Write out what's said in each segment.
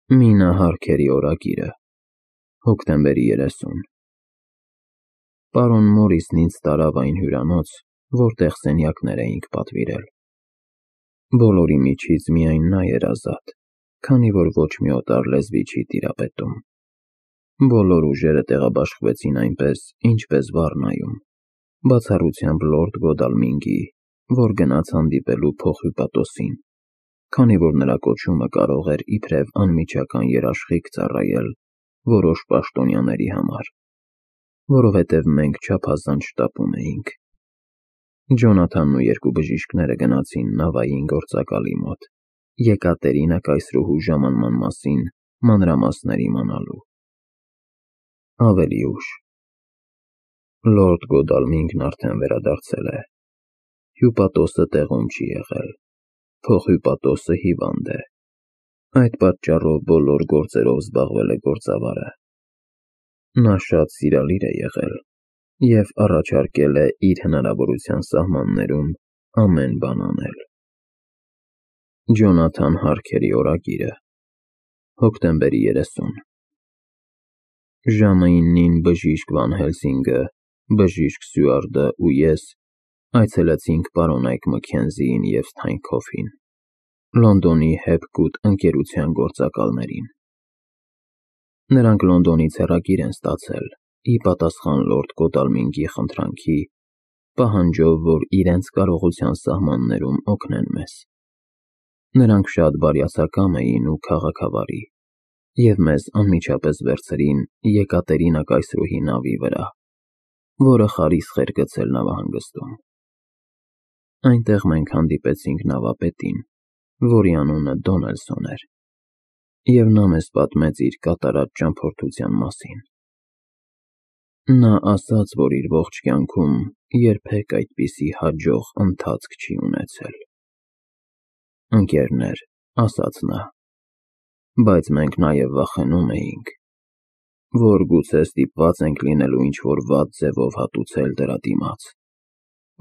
Մինա Հարքերի օրագիրը, հոկտեմբերի 30 Պարոն Մորիսն ինձ տարավ այն հյուրանոց, որտեղ սենյակներ էինք պատվիրել։ Բոլորի միջից միայն նա էր ազատ, քանի որ ոչ մի օտար լեզվի չի տիրապետում։ Բոլոր ուժերը տեղաբաշխվեցին այնպես, ինչպես Վառնայում, բացառությամբ լորդ Գոդալմինգի, որ գնաց հանդիպելու փոխհյուպատոսին, քանի որ նրա կոչումը կարող էր իբրև անմիջական երաշխիք ծառայել որոշ պաշտոնյաների համար, որովհետև մենք չափազանց շտապում էինք։ Ջոնաթանն ու երկու բժիշկները գնացին նավային գործակալի մոտ, Եկատերինա կայսրուհու ժամանման մասին մանրամասներ իմանալու։ Ավելի ուշ։ Լորդ Գոդալմինգն արդեն վերադարձել է։ Հյուպատոսը տեղում չի եղել, փոխհյուպատոսը հիվանդ է։ Այդ պատճառով բոլոր գործերով զբաղվել է գործավարը։ Նա շատ սիրալիր է եղել և առաջարկել է իր հնարավորության սահմաններում ամեն բան անել։ Ջոնաթան Հարքերի օրագիրը, հոկտեմբերի 30 Ժամը 9-ին բժիշկ Վան Հելսինգը, բժիշկ Սյուարտը ու ես այցելեցինք պարոն Այք Մքենզիին և Սթայնքոֆին, Լոնդոնի Հեփգուդ ընկերության գործակալներին։ Նրանք Լոնդոնից հեռագիր են ստացել, ի պատասխան լորդ Գոդալմինգի խնդրանքի, պահանջով, որ իրենց կարողության սահմաններում օգնեն մեզ։ Նրանք շատ բարյացակամ էին ու քաղաքավարի, և մեզ անմիջապես վերցրին Եկատերինա կայսրուհի նավի վրա, որը խարիսխ էր գցել նավահանգստում։ Այնտեղ մենք հանդիպեցինք նավապետին, որի անունը Դոնելսոն էր, և նա մեզ պատմեց իր կատարած ճամփորդության մասին։ Նա ասաց, որ իր ողջ կյանքում երբեք այդպիսի հաջող ընթացք չի ունեցել։ «Ընկերներ», ասաց նա, բայց մենք նաև վախենում էինք, որ գուցե ստիպված ենք լինելու ինչ-որ վատ ձևով հատուցել դրա դիմաց,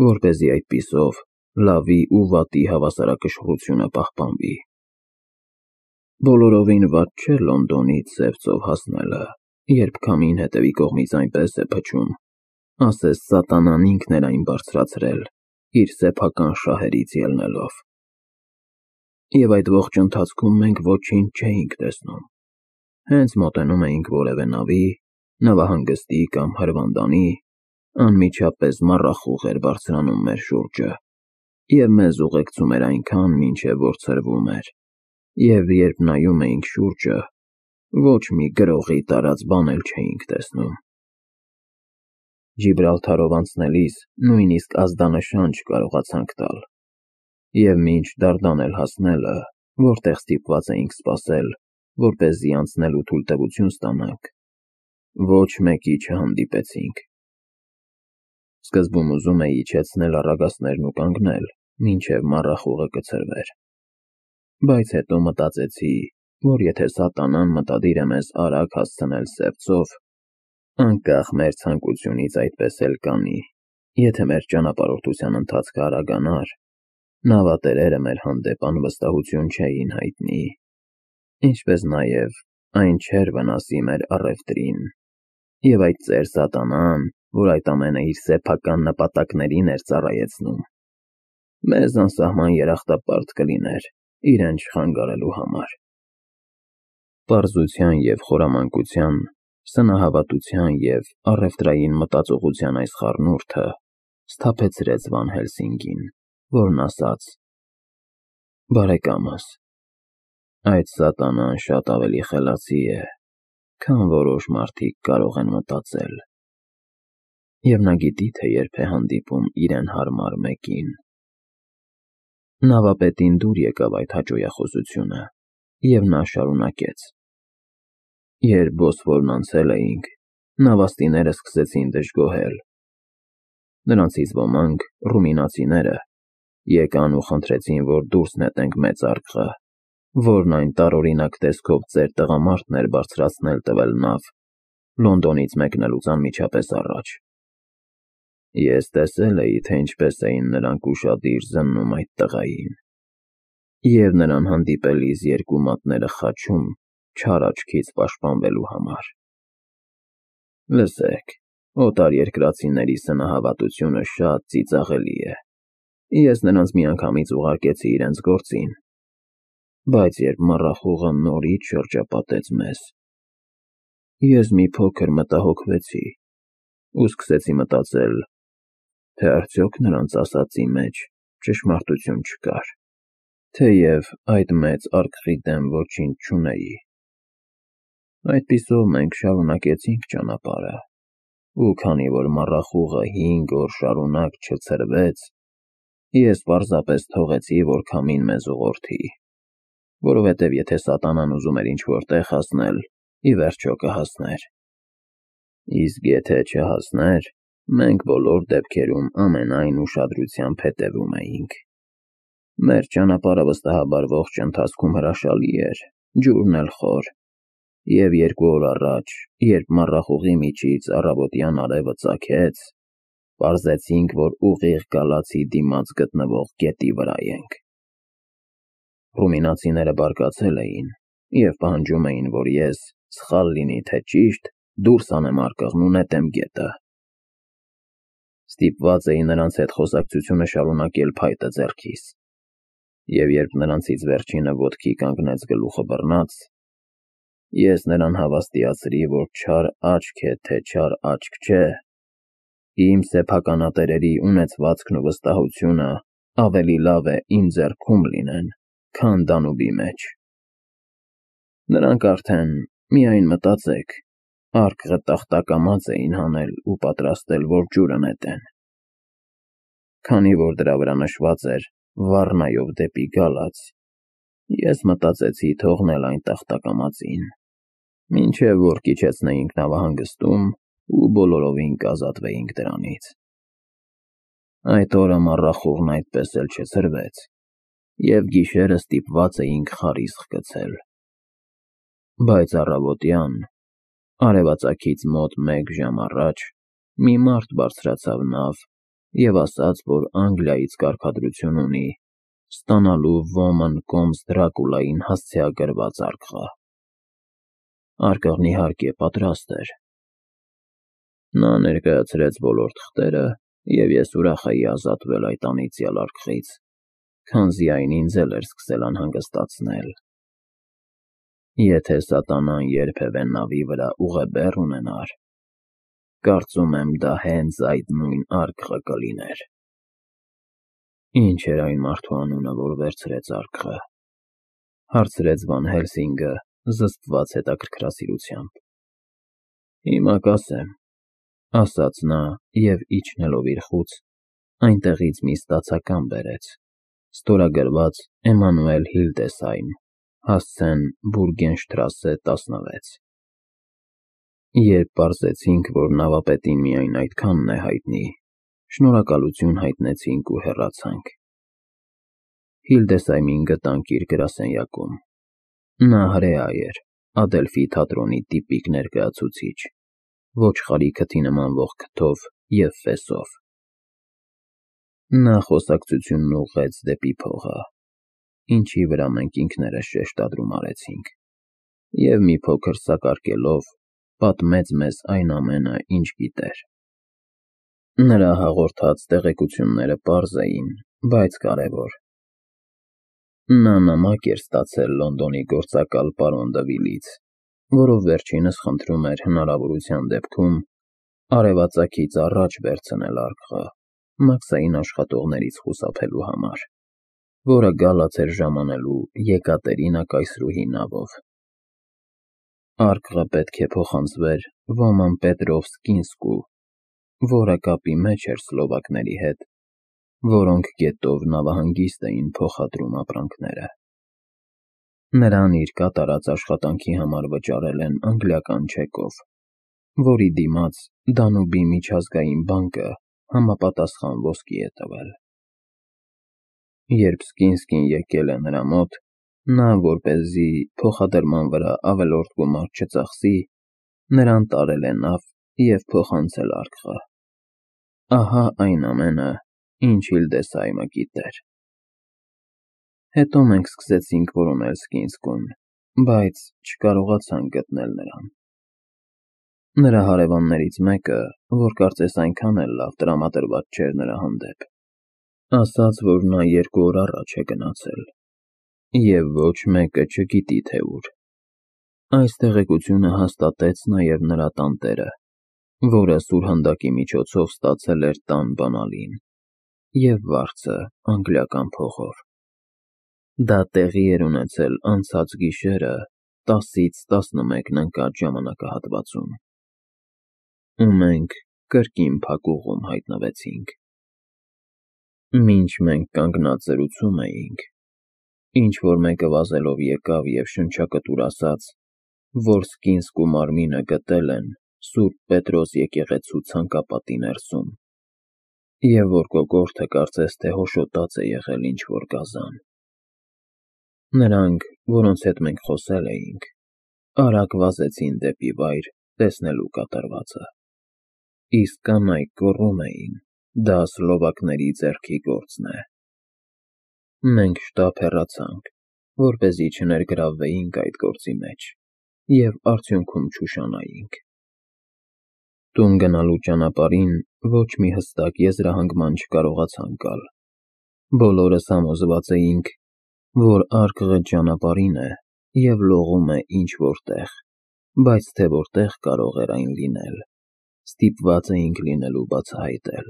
որպեսզի այդպիսով լավի ու վատի հավասարակշռությունը պահպանվի։ Բոլորովին վատ չէ Լոնդոնից Սև ծով հասնելը, երբ քամին հետևի կողմից այնպես է փչում, ասես սատանան ինքն էր այն բարձրացրել, իր սեփական շահերից ելնելով։ Եվ այդ ողջ ընթացքում մենք ոչինչ չէինք տեսնում։ Հենց մոտենում էինք որևէ նավի, նավահանգստի կամ հրվանդանի, անմիջապես մառախուղ էր բարձրանում մեր շուրջը և մեզ ուղեկցում էր այնքան, մինչև որ ցրվում էր, և երբ նայում էինք շուրջը, ոչ մի գրողի տարած բան էլ չէինք տեսնում։ Ջիբրալթարով անցնելիս նույնիսկ ազդանշան չկարողացանք տալ, և մինչ Դարդանել հասնելը, որտեղ ստիպված էինք սպասել, որպեսզի անցնելու թույլտվություն ստանանք, ոչ մեկի չհանդիպեցինք։ Սկզբում ուզում էի իջեցնել առագաստներն ու կանգնել, մինչև մառախուղը կցրվեր, բայց հետո մտածեցի, որ եթե սատանան մտադիր է մեզ արագ հասցնել Սև ծով, անկախ մեր ցանկությունից այդպես էլ կանի, եթե մեր ճանապարհորդության ընթացքը արագանար, նավատերերը մեր հանդեպ անվստահություն չէին հայտնի, ինչպես նաև այն չէր վնասի մեր առևտրին, և այդ ծեր սատանան, որ այդ ամենը իր սեփական նպատակներին էր ծառայեցնում, մեզ անսահման երախտապարտ կլիներ իրեն չխանգարելու համար։ Պարզության և խորամանկության, սնահավատության և առևտրային մտածողության այս խառնուրդը սթափեցրեց Վան Հելսինգին, որն ասաց. «Բարեկամս, այդ սատանան շատ ավելի խելացի է, քան որոշ մարդիկ կարող են մտածել, և նա գիտի, թե երբ է հանդիպում իրեն հարմար մեկին»։ Նավապետին դուր եկավ այդ հաճոյախոսությունը, և նա շարունակեց. «Երբ Բոսֆորն անցել էինք, նավաստիները սկսեցին դժգոհել։ Նրանցից ոմանք, ռումինացիները, եկան ու խնդրեցին, որ դուրս նետենք մեծ արկղը, որն այն տարօրինակ տեսքով ծեր տղամարդն էր բարձրացնել տվել նավ, Լոնդոնից մեկնելուց անմիջապես առաջ։ Ես տեսել էի, թե ինչպես էին նրանք ուշադիր զննում այդ տղային, և նրան հանդիպելիս երկու մատները խաչում, չար աչքից պաշտպանվելու համար։ Լսեք, օտարերկրացիների սնահավատությունը շատ ծիծաղելի է։ Ես նրանց միանգամից ուղարկեցի իրենց գործին, բայց երբ մառախուղը նորից շրջապատեց մեզ, ես մի փոքր մտահոգվեցի ու սկսեցի մտածել, թե արդյոք նրանց ասածի մեջ ճշմարտություն չկար, թեև այդ մեծ արկղի դեմ ոչինչ չունեի։ Այդպիսով մենք շարունակեցինք ճանապարհը, ու քանի որ մառախուղը 5 օր շարունակ չցրվեց, ես պարզապես թողեցի, որ քամին մեզ ուղղորդի, որովհետև եթե սատանան ուզում էր ինչ-որ տեղ հասնել, ի վերջո կհասներ։ Իսկ եթե չհասներ, մենք բոլոր դեպքերում ամենայն ուշադրությամբ հետևում էինք։ Մեր ճանապարհը վստահաբար ողջ ընթացքում հրաշալի էր, ջուրն էլ խոր, և 2 օր առաջ, երբ մառախուղի միջից առավոտյան արևը ծագեց, պարզեցինք, որ ուղիղ գալացի դիմաց գտնվող գետի վրա ենք։ Ռումինացիները բարկացել էին և պահանջում էին, որ ես, սխալ լինի թե ճիշտ, դուրս անեմ արկղն ու նետեմ գետը։ Ստիպված էի նրանց հետ խոսակցությունը շարունակել փայտը ձեռքիս, և երբ նրանցից վերջինը ոտքի կանգնեց գլուխը բռնած, ես նրան հավաստիացրի, որ չար աչք է, թե չար աչք չէ, իմ սեփականատերերի ունեցվածքն ու վստահությունը ավելի լավ է իմ ձեռքում լինեն, քան Դանուբի մեջ։ Նրանք արդեն, միայն մտածեք, արկղը տախտակամած էին հանել ու պատրաստել, որ ջուրը նետեն։ Քանի որ դրա վրա նշված էր «Վառնայով դեպի գալած», ես մտածեցի թողնել այն տախտակամածին, մինչև որ կիջեցնեինք նավահանգստում ու բոլորովին կազատվեինք դրանից։ Այդ օրը մառախուղն այդպես էլ չցրվեց, և գիշերը ստիպված էինք խարիսխ գցել։ Բայց առավոտյան, արևածագից մոտ 1 ժամ առաջ, մի մարդ բարձրացավ նավ և ասաց, որ Անգլիայից կարգադրություն ունի ստանալու Woman Comes Dracula-ին հասցեագրված արկղը։ Արկղն իհարկե պատրաստ էր։ Նա ներկայացրեց բոլոր թղթերը, և ես ուրախ էի ազատվել այդ անիծյալ արկղից, քանզի այն ինձ էլ էր սկսել անհանգստացնել։ Եթե սատանան երբևէ նավի վրա ուղեբեռ ունենար, կարծում եմ դա հենց այդ նույն արկղը կլիներ։ Ինչ էր այն մարդու անունը, որ վերցրեց արկղը, հարցրեց Վան Հելսինգը զսպված հետաքրքրասիրությամբ։ Հիմա կասեմ, ասաց նա և իջնելով իր խուց, այնտեղից մի ստացական բերեց, ստորագրված Էմանուել Հիլդեսհայմ, հասցեն Բուրգենշտրասե 16։ Երբ պարզեցինք, որ նավապետին միայն այդքանն է հայտնի, շնորհակալություն հայտնեցինք ու հեռացանք։ Հիլդեսհայմին գտանք իր գրասենյակում։ Նա հրեա էր, Ադելֆի թատրոնի տիպիկ ներկայացուցիչ, ոչխարի քթի նմանվող քթով և ֆեսով։ Նա խոսակցությունն ուղղեց դեպի փողը, ինչի վրա մենք ինքներս շեշտադրում արեցինք, և մի փոքր սակարկելով, պատմեց մեզ այն ամենը, ինչ գիտեր։ Նրա հաղորդած տեղեկությունները պարզ էին, բայց կարևոր։ Նա նամակ էր ստացել Լոնդոնի գործակալ պարոն Դևիլից, որով վերջինս խնդրում էր հնարավորության դեպքում արևածագից առաջ վերցնել արկղը մաքսային աշխատողներից խուսափելու համար, որը գալաց էր ժամանելու Եկատերինա կայսրուհի նավով։ Արկղը պետք է փոխանցվեր Ոման Պետրովսկինսկու, որը կապի մեջ էր սլովակների հետ, որոնք գետով նավահանգիստ էին փոխադրում ապրանքները։ Նրան իր կատարած աշխատանքի համար վճարել են անգլիական չեկով, որի դիմաց Դանուբի միջազգային բանկը համապատասխան ոսկի է տվել։ Երբ Սկինսկին եկել է նրա մոտ, նա, որպեսզի փոխադրման վրա ավելորդ գումար չծախսի, նրան տարել է նավ և փոխանցել արկղը։ Ահա այն ամենը, ինչ Հիլդեսհայմը գիտեր։ Հետո մենք սկսեցինք որոնել Սկինսկուն բայց չկարողացանք գտնել նրան։ Նրա հարևաններից մեկը, որ կարծես այնքան էլ լավ տրամադրված չէր նրա հանդեպ, ասաց, որ նա 2 օր առաջ է գնացել, և ոչ մեկը չգիտի, թե ուր։ Այս տեղեկությունը հաստատեց նաև նրա տանտերը, որը սուրհանդակի միջոցով ստացել էր տան բանալին և վարձը անգլիական փողով։ Դա տեղի էր ունեցել անցած գիշերը 10-ից 11 ընկած ժամանակահատվածում, ու մենք կրկին փակուղում հայտնվեցինք։ Մինչ մենք կանգնած զրուցում էինք, ինչ-որ մեկը վազելով եկավ և շնչակտուր ասաց, որ Սքինսկու մարմինը գտել են Սուրբ Պետրոս եկեղեցու ցանկապատի ներսում, և որ կոկորդը կարծես թե հոշոտած է եղել ինչ-որ գազան։ Նրանք, որոնց հետ մենք խոսել էինք, արագ վազեցին դեպի վայր տեսնելու կատարվածը, իսկ կանայք գոռում էին. դա սլովակների ձեռքի գործն է։ Մենք շտապ հեռացանք, որպեսզի չներգրավվեինք այդ գործի մեջ և արդյունքում չուշանայինք։ Տուն գնալու ճանապարհին ոչ մի հստակ եզրահանգման չկարողացանք գալ։ Բոլորս համոզված էինք, որ արկղը ճանապարհին է և լողում է ինչ-որ տեղ, բայց թե որտեղ կարող էր այն լինել, ստիպված էինք լինելու բացահայտել։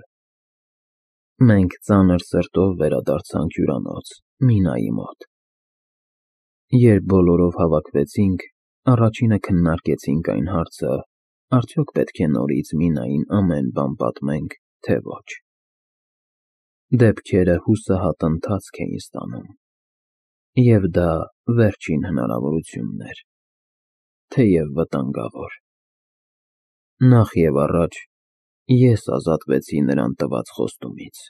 Մենք ծանր սրտով վերադարձանք հյուրանոց Մինայի մոտ։ Երբ բոլորով հավաքվեցինք, առաջինը քննարկեցինք այն հարցը, արդյոք պետք է նորից Մինային ամեն բան պատմենք, թե ոչ։ Դեպքերը հուսահատ ընթացք էին ստանում, և դա վերջին հնարավորությունն էր, թեև վտանգավոր։ Նախ և առաջ ես ազատվեցի նրան տված խոստումից։